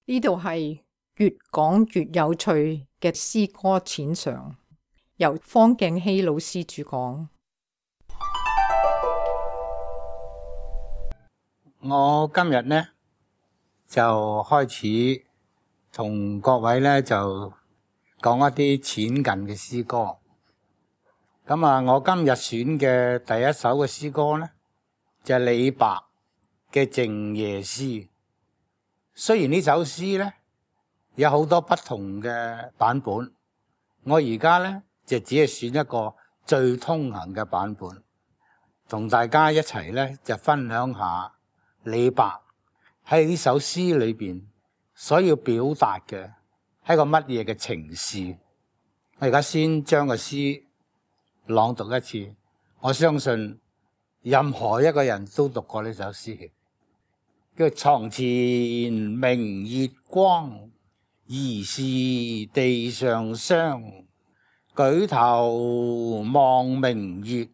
呢度係越講越有趣嘅詩歌淺嘗，由方敬熙老師主講。我今日呢就開始同各位呢就講一啲淺近嘅詩歌。咁我今日選嘅第一首嘅詩歌呢就係李白嘅《靜夜思》。雖然呢首詩呢有好多不同嘅版本，我而家呢就只係選一個最通行嘅版本，同大家一齊呢就分享下李白喺呢首詩裏邊所要表達嘅係個乜嘢嘅情事。我而家先將個詩朗讀一次，我相信任何一個人都讀過呢首詩。叫床前明月光，疑是地上霜。舉頭望明月，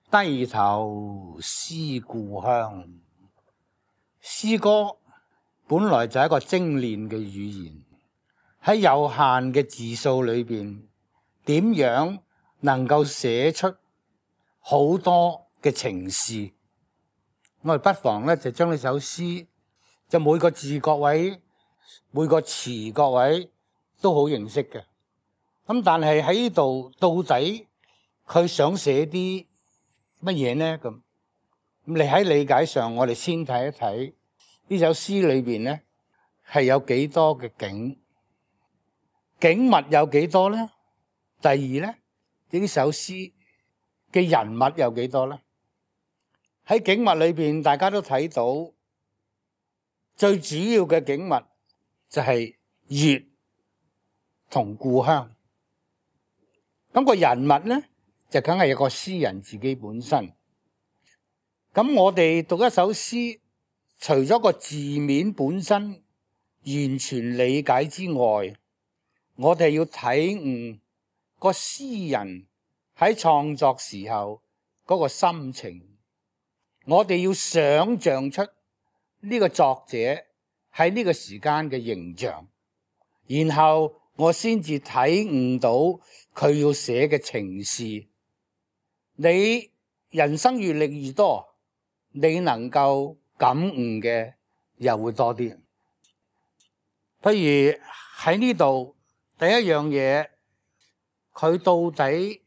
低頭思故鄉。詩歌本來就係一個精煉嘅語言，喺有限嘅字數裏邊，點樣能夠寫出好多嘅情事？我哋不妨咧就將呢首詩，就每個字各位，每個詞各位都好認識嘅。咁但係喺呢度到底佢想寫啲乜嘢呢？咁你喺理解上，我哋先睇一睇呢首詩裏邊咧係有幾多嘅景物有幾多咧？第二咧，呢首詩嘅人物有幾多咧？喺景物裏邊，大家都睇到最主要嘅景物就係月同故鄉。咁個人物咧就梗係有個詩人自己本身。咁我哋讀一首詩，除咗個字面本身完全理解之外，我哋要體悟個詩人喺創作時候嗰個心情。我哋要想象出呢個作者喺呢個時間嘅形象，然後我先至體悟到佢要寫嘅情事。你人生閱歷越多，你能夠感悟嘅又會多啲。譬如喺呢度第一樣嘢，佢到底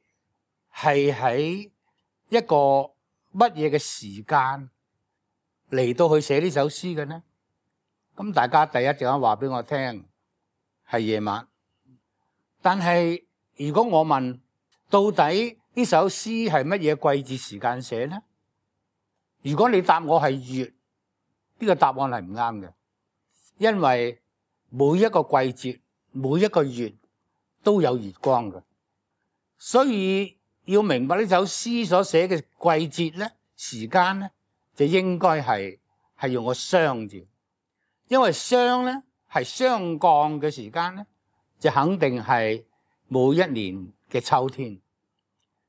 係喺一個乜嘢嘅時間嚟到去寫呢首詩嘅呢？咁大家第一陣間話俾我聽係夜晚。但係如果我問到底呢首詩係乜嘢季節時間寫呢？如果你答我係月，呢個答案係唔啱嘅，因為每一個季節每一個月都有月光嘅，所以要明白呢首詩所寫嘅季節咧、時間咧，就應該係用個霜字，因為霜咧係霜降嘅時間咧，就肯定係每一年嘅秋天。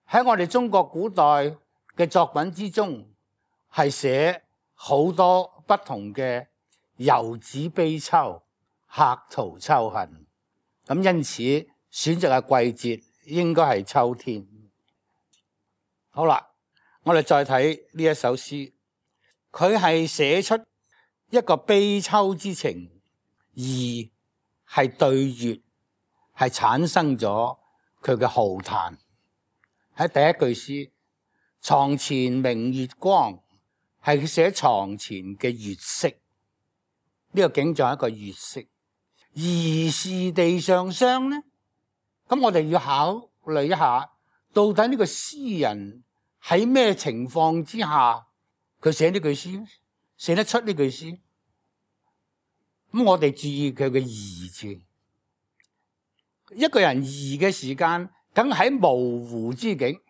喺我哋中國古代嘅作品之中，係寫好多不同嘅遊子悲秋、客途秋恨，咁因此選擇嘅季節應該係秋天。好啦，我哋再睇呢一首詩，佢係寫出一個悲秋之情，而係對月係產生咗佢嘅浩嘆。喺第一句詩，床前明月光，係寫床前嘅月色，呢個景象係一個月色。疑是地上霜呢？咁我哋要考慮一下，到底呢個詩人喺咩情況之下佢寫呢句詩，寫得出呢句詩？咁我哋注意佢嘅疑字。一個人疑嘅時間，梗喺模糊之境、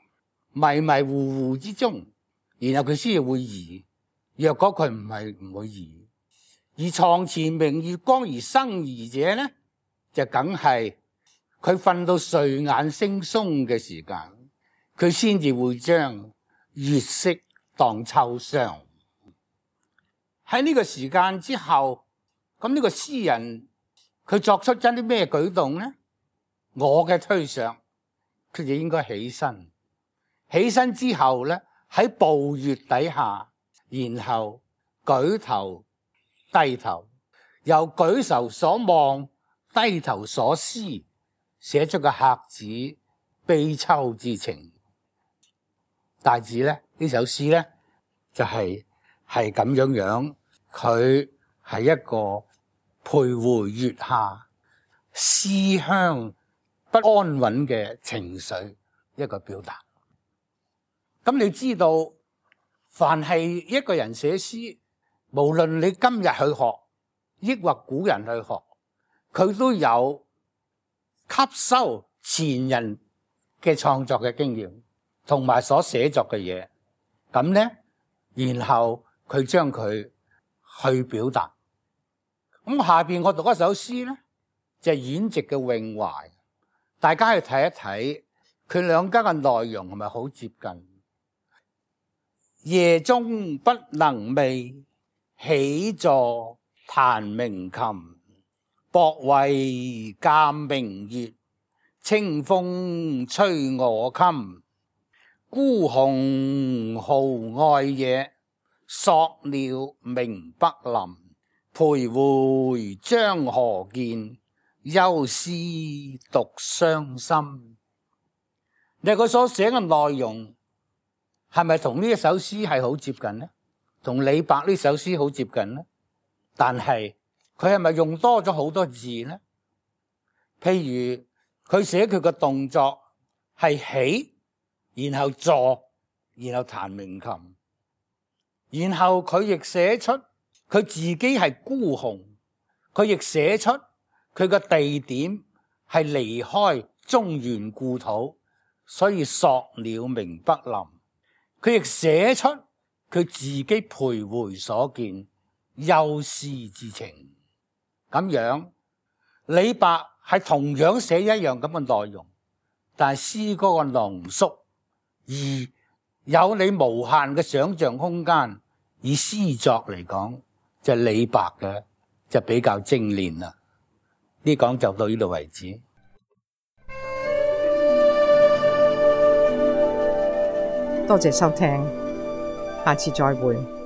迷迷糊糊之中，然後佢先至會疑。若果佢唔會疑，而床前明月光而生疑者呢，就梗係佢瞓到睡眼惺忪嘅時間，佢先至會將月色當秋霜。喺呢個時間之後，咁呢個詩人佢作出咗啲咩舉動呢？我嘅推想，佢就應該起身。起身之後咧，喺暴月底下，然後舉頭低頭，由舉頭所望，低頭所思，寫出個客子悲秋之情。大致咧，呢首詩咧就係咁樣，佢係一個徘徊月下、思鄉不安穩嘅情緒一個表達。咁你知道，凡係一個人寫詩，無論你今日去學，抑或古人去學，佢都有吸收前人嘅創作嘅經驗，同埋所寫作嘅嘢。咁呢，然後佢將佢去表達。咁下邊我讀一首詩呢，就係阮籍嘅《詠懷》，大家去睇一睇，佢兩家嘅內容係咪好接近？夜中不能寐，起坐彈鳴琴。薄為鑑明月，清風吹我襟。孤鴻號外野，索鳥鳴北林。徘徊張河見，憂思獨傷心。你佢所寫嘅內容係咪同呢一首詩係好接近呢？同李白呢首詩好接近呢？但係佢係咪用多咗好多字呢？譬如佢寫佢嘅動作係起，然後坐，然後彈鳴琴，然後佢亦寫出佢自己係孤鴻，佢亦寫出佢嘅地點係離開中原故土，所以索鳥鳴北林。佢亦寫出佢自己徘徊所見，憂思之情。咁樣李白係同樣寫一樣咁嘅內容，但係詩歌嘅濃縮，而有你無限嘅想象空間。以詩作嚟講，就李白嘅就比較精煉啦。呢講就到呢度為止。多謝收聽，下次再會。